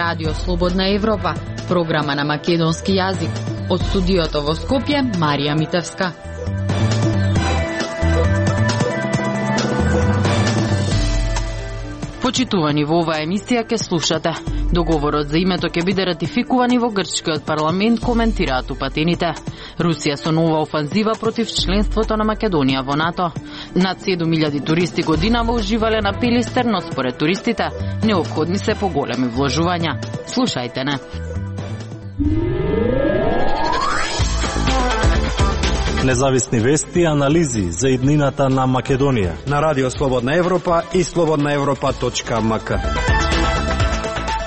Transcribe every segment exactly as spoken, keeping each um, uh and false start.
Радио Слободна Европа, програма на македонски јазик. Од студиото во Скопје, Марија Митевска. Почитувани, во оваа емисија ке слушате. Договорот за името ќе биде ратификуван и во грчкиот парламент, коментираат упатените. Русија со нова офанзива против членството на Македонија во НАТО. Над седум илјади туристи годинава уживале на Пилистер, но според туристите неопходни се поголеми вложувања. Слушајте не. Независни вести и анализи за иднината на Македонија на Радио Слободна Европа и слободна европа точка ем ка.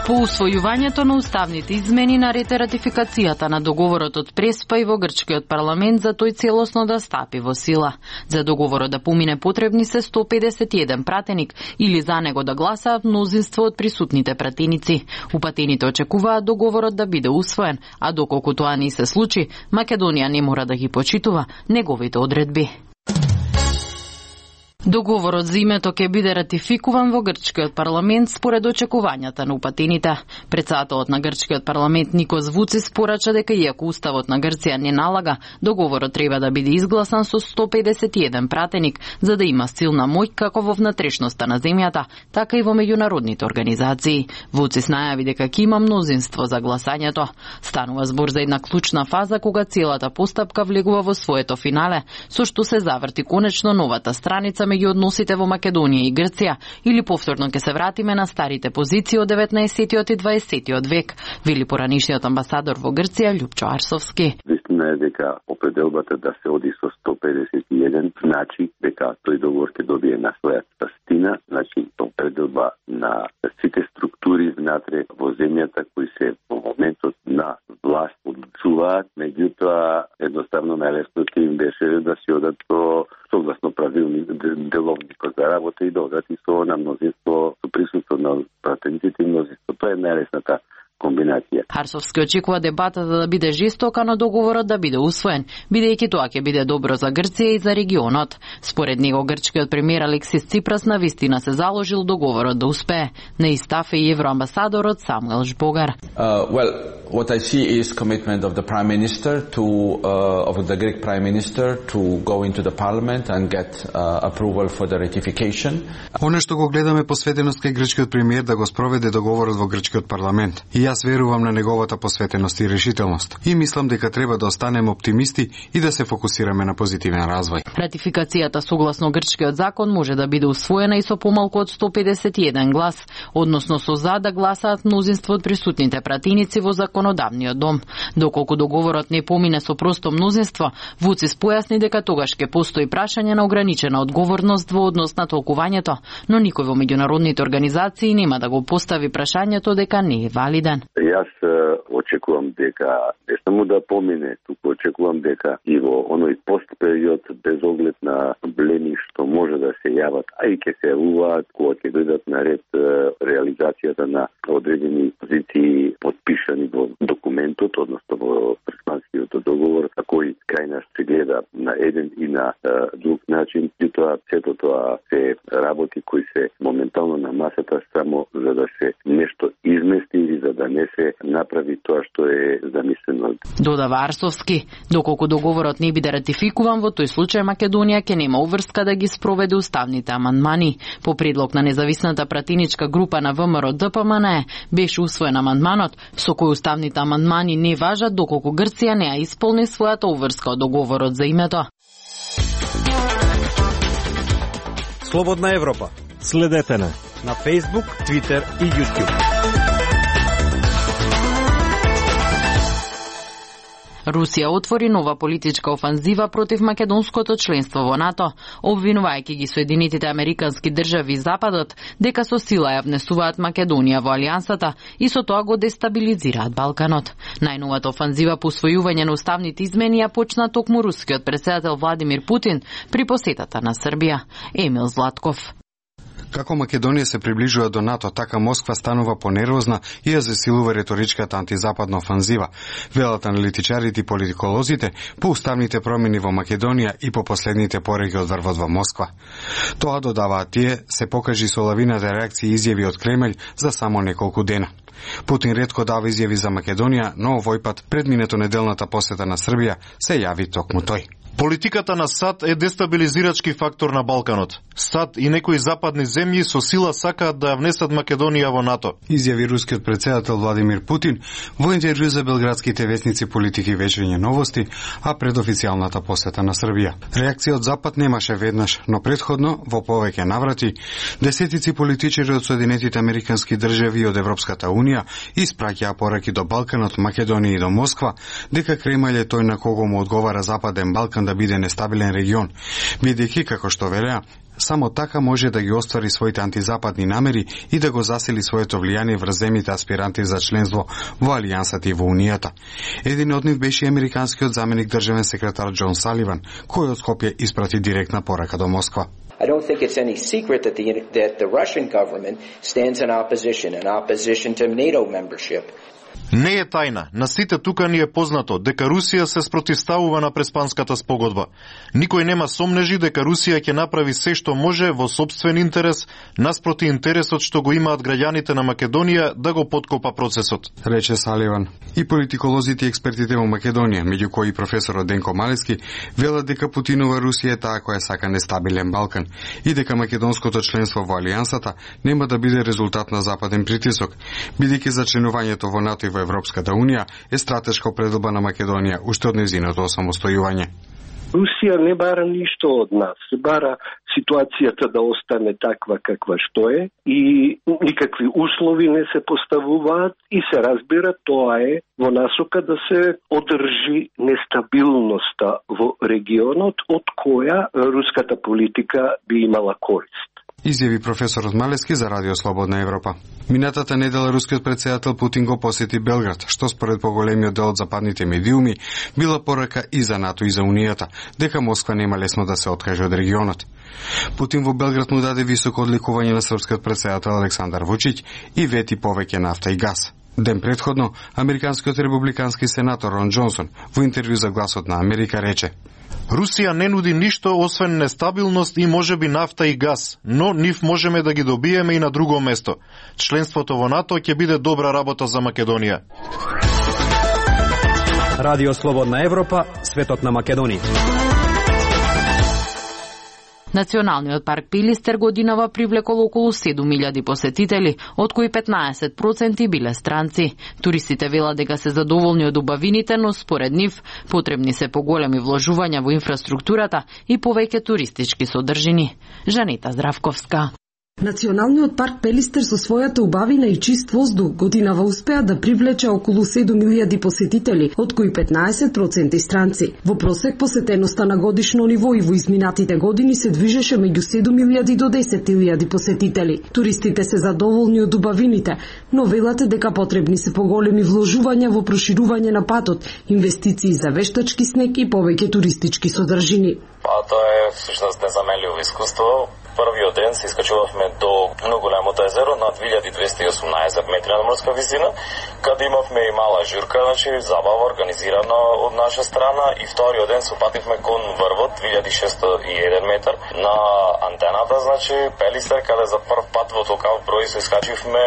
По усвојувањето на уставните измени наред ратификацијата на договорот од Преспа и во грчкиот парламент за тој целосно да стапи во сила. За договорот да помине потребни се сто педесет и еден пратеник или за него да гласаат мнозинство од присутните пратеници. Упатените очекуваат договорот да биде усвоен, а доколку тоа не се случи, Македонија не мора да ги почитува неговите одредби. Договорот за името ќе биде ратификуван во грчкиот парламент според очекувањата на упатените. Председателот на грчкиот парламент Никос Вуцис порача дека иако уставот на Грција не налага, договорот треба да биде изгласан со сто педесет и еден пратеник за да има силна моќ како во внатрешноста на земјата, така и во меѓународните организации. Вуцис најави дека ќе има мнозинство за гласањето. Станува збор за една клучна фаза кога целата постапка влегува во своето финале, со што се заврти конечно новата страница меѓу односите во Македонија и Грција, или повторно ќе се вратиме на старите позиции од деветнаесеттиот и дваесеттиот век, вели поранишниот амбасадор во Грција Љупчо Арсовски. Вистина е дека определбата да се оди со сто педесет и еден значи дека тој договор ќе добие на својата стина, значи определба на сите структури внатре во земјата кои се во моментот на власт одлучуваат, меѓутоа едноставно најлесното им беше да се одат со согласно правилни деловникот за работа и да одат и со на мнозинство, со присуство на пратениците и мнозинство. Тоа е најлесната комбинација. Арсовски очекува дебатата да биде жестока, но договорот да биде усвоен, бидејќи тоа ќе биде добро за Грција и за регионот. Според него грчкиот премиер Алексис Ципрас навистина се заложил договорот да успее. Не истафе и евроамбасадорот Самуел Жбогар. Uh, well, what I see is commitment of the Prime Minister to uh, of the Greek Prime Minister to go into the Parliament and get uh, approval for the ratification. Оно што го гледаме посветеност кај грчкиот премиер да го спроведе договорот во грчкиот парламент. И јас верувам на неговата посветеност и решителност. И мислам дека треба да останеме оптимисти и да се фокусираме на позитивен развој. Ратификацијата согласно грчкиот закон може да биде усвоена и со помалку од сто педесет и еден глас, односно со за да гласаат мнозинство од присутните пратеници во законодавниот дом. Доколку договорот не помине со просто мнозинство, Вуцис појасни дека тогаш ќе постои прашање на ограничена одговорност во однос на толкувањето, но никој во меѓународните организации нема да го постави прашањето дека не е валиден. Јас очекувам дека не само да помине, туку очекувам дека и во оној постпериод без оглед на проблеми што може да се јават, а и ќе се јавуваат кога ќе дојдат на ред реализацијата на одредени позиции подпишани во документот, односно во Преспанскиот договор, а кој кај нас се гледа на еден и на е, друг начин, и тоа сето тоа се работи кои се моментално на масата само за да се нешто измести или за да не се направи тоа што е замислено. Додава Арсовски, доколку договорот не биде ратификуван, во тој случај Македонија ќе нема уврска да ги спроведе уставните амандмани. По предлог на независната пратеничка група на ВМРО Д П М Н беше усвоен амандманот со кој уставните амандмани не важат доколку Грција не ја исполни својата уврска од договорот за името. Слободна Европа. Следете на на Facebook, Twitter и YouTube. Русија отвори нова политичка офанзива против македонското членство во НАТО, обвинувајќи ги Соединетите американски држави и Западот дека со сила ја внесуваат Македонија во алијансата и со тоа го дестабилизираат Балканот. Најновата офанзива по усвојување на уставните измени ја почна токму рускиот претседател Владимир Путин при посетата на Србија. Емил Златков. Како Македонија се приближува до НАТО, така Москва станува понервозна и ја засилува реторичката антизападна офанзива, велат аналитичарите и политиколозите по уставните промени во Македонија и по последните пореки од врвот во Москва. Тоа, додаваат тие, се покажи со лавината реакции и изјави од Кремљ за само неколку дена. Путин ретко дава изјави за Македонија, но овој пат пред минатонеделната посета на Србија се јави токму тој. Политиката на САД е дестабилизирачки фактор на Балканот. САД и некои западни земји со сила сакаат да ја внесат Македонија во НАТО. Изјави рускиот председател Владимир Путин во интервју за белградските весници Политики и вечерње новости, а пред официјалната посета на Србија. Реакција од Запад немаше веднаш, но претходно, во повеќе наврати, десетици политичари од Соединетите Американски држави и од Европската Унија испраќаа пораки до Балканот, Македонија и до Москва, дека Кремљ е тој на кого му одговара Западен Балкан да биде нестабилен регион, бидејќи, како што велеа, само така може да ги оствари своите антизападни намери и да го засили своето влијание врз земјите аспиранти за членство во Алијансата и во Унијата. Еден од нив беше американскиот заменик државен секретар Џон Саливан, кој од Скопје испрати директна порака до Москва. I don't think it's any secret that the, that the Russian government stands in opposition, in opposition to NATO membership. Не е тајна, на сите тука ни е познато дека Русија се спротивставува на Преспанската спогодба. Никој нема сомнежи дека Русија ќе направи се што може во сопствен интерес, наспроти интересот што го имаат граѓаните на Македонија да го поткопа процесот, рече Саливан. И политиколозите и експертите во Македонија, меѓу кои професорот Денко Малески, велат дека Путинова Русија е таа која сака нестабилен Балкан и дека македонското членство во Алијансата нема да биде резултат на западен притисок, бидејќи за членувањето во НАТО и во Европската Унија е стратешка определба на Македонија уште од нејзиното осамостојување. Русија не бара ништо од нас, бара ситуацијата да остане таква каква што е и никакви услови не се поставуваат и се разбира тоа е во насока да се одржи нестабилноста во регионот од која руската политика би имала корист. Изјави професорот Малески за Радио Слободна Европа. Минатата недела рускиот председател Путин го посети Белград, што според поголемиот дел од западните медиуми била порака и за НАТО и за Унијата, дека Москва нема лесно да се откаже од регионот. Путин во Белград му даде високо одликување на српскиот председател Александар Вучиќ и вети повеќе нафта и газ. Ден предходно, американскиот републикански сенатор Рон Џонсон во интервју за Гласот на Америка рече: Русија не нуди ништо освен нестабилност и можеби нафта и газ, но нив можеме да ги добиеме и на друго место. Членството во НАТО ќе биде добра работа за Македонија. Радио Слободна Европа, светот на Македонија. Националниот парк Пилистер годинава привлекол околу седум илјади посетители, од кои петнаесет проценти биле странци. Туристите велат дека се задоволни од убавините, но според нив потребни се поголеми вложувања во инфраструктурата и повеќе туристички содржини. Жанета Здравковска. Националниот парк Пелистер со својата убавина и чист воздух годинава успеа да привлече околу седум илјади посетители, од кои петнаесет проценти странци. Во просек посетеноста на годишно ниво и во изминатите години се движеше меѓу седум илјади до десет илјади посетители. Туристите се задоволни од убавините, но велате дека потребни се поголеми вложувања во проширување на патот, инвестиции за вештачки снег и повеќе туристички содржини. Па тоа е всушност незаменливо искуство. Првиот ден се искачувавме до многу големото езеро на две илјади двесте и осумнаесет метри надморска висина, каде имавме и мала журка, значи забава организирана од наша страна, и вториот ден се упативме кон врвот две илјади шесто и еден метар на антената, значи Пелистер, каде за прв пат во толкав број се искачивме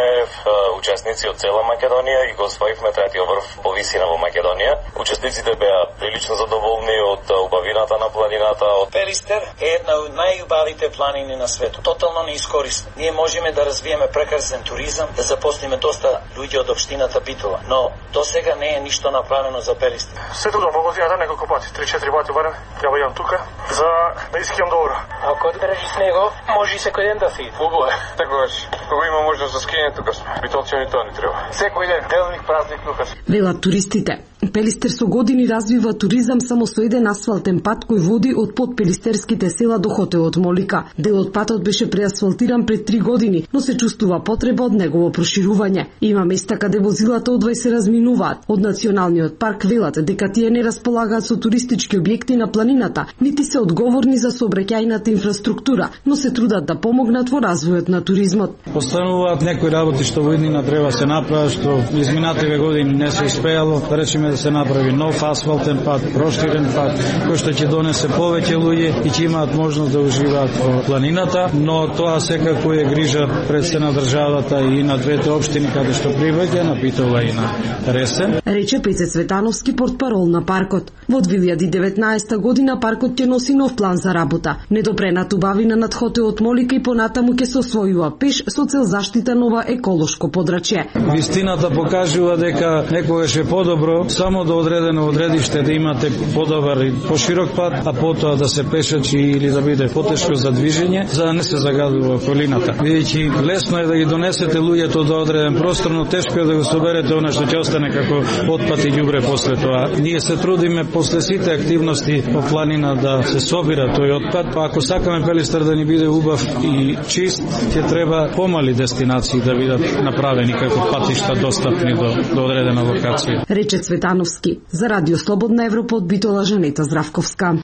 учесници од цела Македонија и го освоивме третиот врв по висина во Македонија. Учесниците беа прилично задоволни од убавината на планината. Пелистер е една од најубавите планини на светот, тотално неискористен. Ние можеме да развиеме прекрасен туризам, да запослиме доста луѓе од општината Битола, но до сега не е ништо направено за Пелистер. Сето да могу да неколку пати, три-четири пати барем, треба јам тука за да искам добро. Ако одбереш снего, може и секој ден да си. Убаво е. Такогаш, кога има можност за скијање тука сме. Битолци ни тоа не треба. Секој ден, делник, празник тука сме. Велат туристите. Пелистер со години развива туризам само со еден асфалтен пат кој води од подпелистерските села до хотелот Молика. Дел од патот беше преасфалтиран пред три години, но се чувствува потреба од негово проширување. Има места каде возилата одвај се разминуваат. Од Националниот парк велат дека тие не располагаат со туристички објекти на планината, нити се се одговорни за сообраќајната инфраструктура, но се трудат да помогнат во развојот на туризмот. Остануваат некои работи што во иднина треба се направат, што изминативе години не се успеало, да речеме да се направи нов асфалтен пат, проширен пат, кој што ќе донесе повеќе луѓе и ќе имаат можност да уживаат во планината, но тоа секако е грижа пред се на државата и на двете општини каде што прибаѓа, на Битола и на Ресен. Рече Пеце Цветановски, портпарол на паркот. Во две илјади и деветнаесета година паркот ќе носи нов план за работа. Недопрената убавина над хотелот Молика и понатаму ќе се освојува пеш со цел заштита нова еколошко подрачје. Вистината покажува дека некогаш е подобро само до одредено одредиште да имате подобар и поширок пат, а потоа да се пешачи или да биде потешко за движење, за да не се загадува околината. Бидејќи лесно е да ги донесете луѓето до одреден простор, но тешко е да го соберете она што ќе остане како отпад и ѓубре после тоа. Ние се трудиме после сите активности по планина да се собира тој отпад, па ако сакаме Пелистер да ни биде убав и чист, ќе треба помали дестинации да бидат направени како патишта достапни до, до одредена локација. Рече Цветановски. За Радио Слободна Европа од Битола Жанета Здравковска.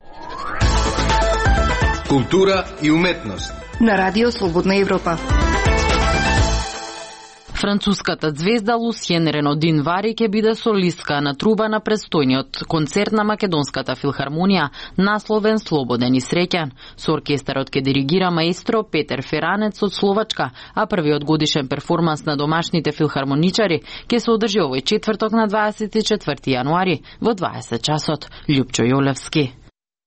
Култура и уметност на Радио Слободна Европа. Француската звезда Лусиен Ренодин Вари ќе биде солистка на труба на престојниот концерт на Македонската филхармонија, насловен Слободен и среќен. Со оркестарот ќе диригира маестро Петер Феранец од Словачка, а првиот годишен перформанс на домашните филхармоничари ќе се одржи овој четврток на дваесет и четврти јануари во дваесет часот. Љупчо Јолевски.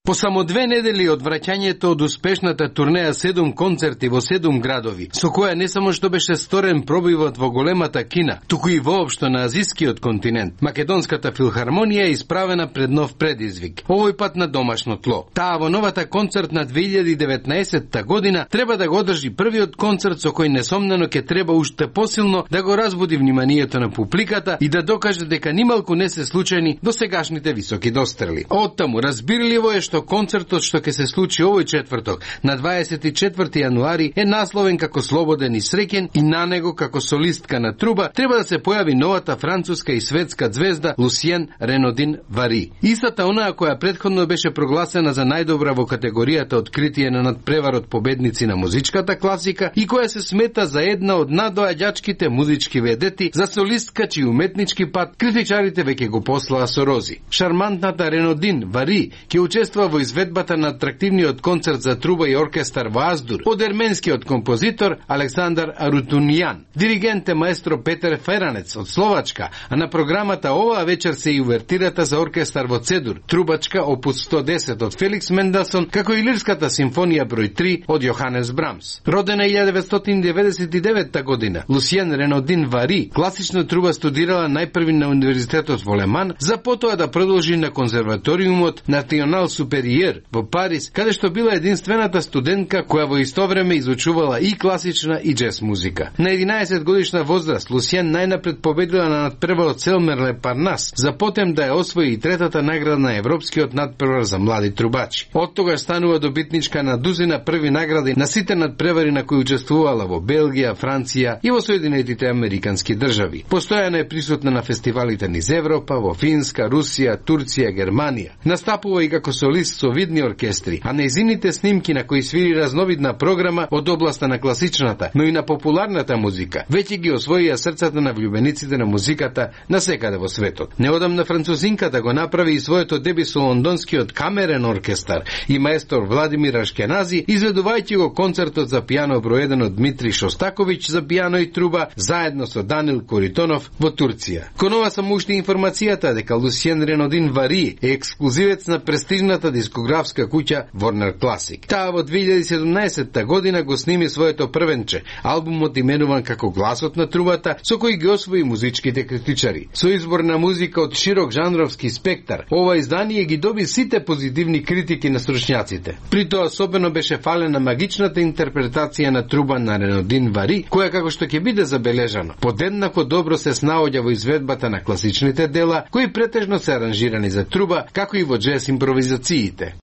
По само две недели од враќањето од успешната турнеја седум концерти во седум градови, со која не само што беше сторен пробивот во големата Кина, туку и воопшто на азискиот континент, Македонската филхармонија е исправена пред нов предизвик, овој пат на домашно тло. Таа во новата концертна две илјади и деветнаесетта година треба да го одржи првиот концерт со кој несомнено ќе треба уште посилно да го разбуди вниманието на публиката и да докаже дека нималку не се случајни досегашните високи дострели. Оттаму разбирливо е што концертот што ќе се случи овој четврток на дваесет и четврти јануари е насловен како Слободен и среќен и на него како солистка на труба треба да се појави новата француска и светска звезда Лусиен Ренодин Вари. Истата онаа која претходно беше прогласена за најдобра во категоријата откритие на надпреварот победници на музичката класика и која се смета за една од надоаѓачките музички ведети, за солистка чиј уметнички пат критичарите веќе го послаа со рози. Шармантната Ренодин Вари ќе учествува во изведбата на атрактивниот концерт за труба и оркестар во Аздур од ерменскиот композитор Александар Арутунијан. Диригент е маестро Петер Феранец од Словачка, а на програмата оваа вечер се и увертирата за оркестар во Цедур, трубачка опус сто десет од Феликс Менделсон, како и лирската симфонија број три од Јоханес Брамс. Родена илјадата деветстотини деветдесет и деветта година, Лусиен Ренодин Вари класична труба студирала најпрви на универзитетот во Леман, за потоа да продолжи на конзерваториумот Национал Супериер во Париз, каде што била единствената студентка која во исто време изучувала и класична и джез музика. На единаесет годишна возраст Лусиен најнапред победила на надпреварот Селмерле Парнас, за потем да ја освои и третата награда на европскиот надпревар за млади трубачи. Од тогаш станува добитничка на дузина први награди на сите надпревари на кои учествувала во Белгија, Франција и во Соединетите Американски држави. Постојано е присутна на фестивалите низ Европа, во Финска, Русија, Турција, Германија. Настапува и како солист со видни оркестри, а нејзините снимки на кои свири разновидна програма од областа на класичната, но и на популарната музика, веќе ги освоија срцата на влюбениците на музиката на секаде во светот. Неодамна французинката го направи и своето деби со лондонскиот камерен оркестар и маестор Владимир Ашкенази, изведувајќи го концертот за пијано број еден од Дмитрий Шостаковиќ за пијано и труба, заедно со Данил Коритонов во Турција. Кон ова само уште информацијата дека Лусиен Ренодин Вари е ексклузивец на престижната дискографска куќа Warner Classic. Таа во две илјади и седумнаесетта година го сними своето првенче, албумот именуван како Гласот на трубата, со кој ги освои музичките критичари. Со избор на музика од широк жанровски спектар, ова издание ги доби сите позитивни критики на стручњаците. При тоа особено беше фалена магичната интерпретација на труба на Ренодин Вари, која како што ќе биде забележано, подеднако добро се снаоѓа во изведбата на класичните дела, кои претежно се аранжирани за труба, како и во джез импровизациите.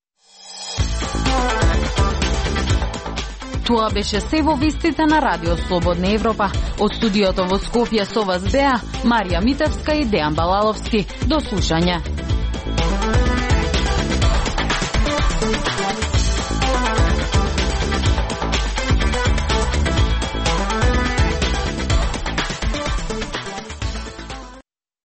Тоа беше се во вестите на Радио Слободна Европа. Од студиото во Скопје со вас беа Марија Митевска и Дејан Балаловски. До слушање.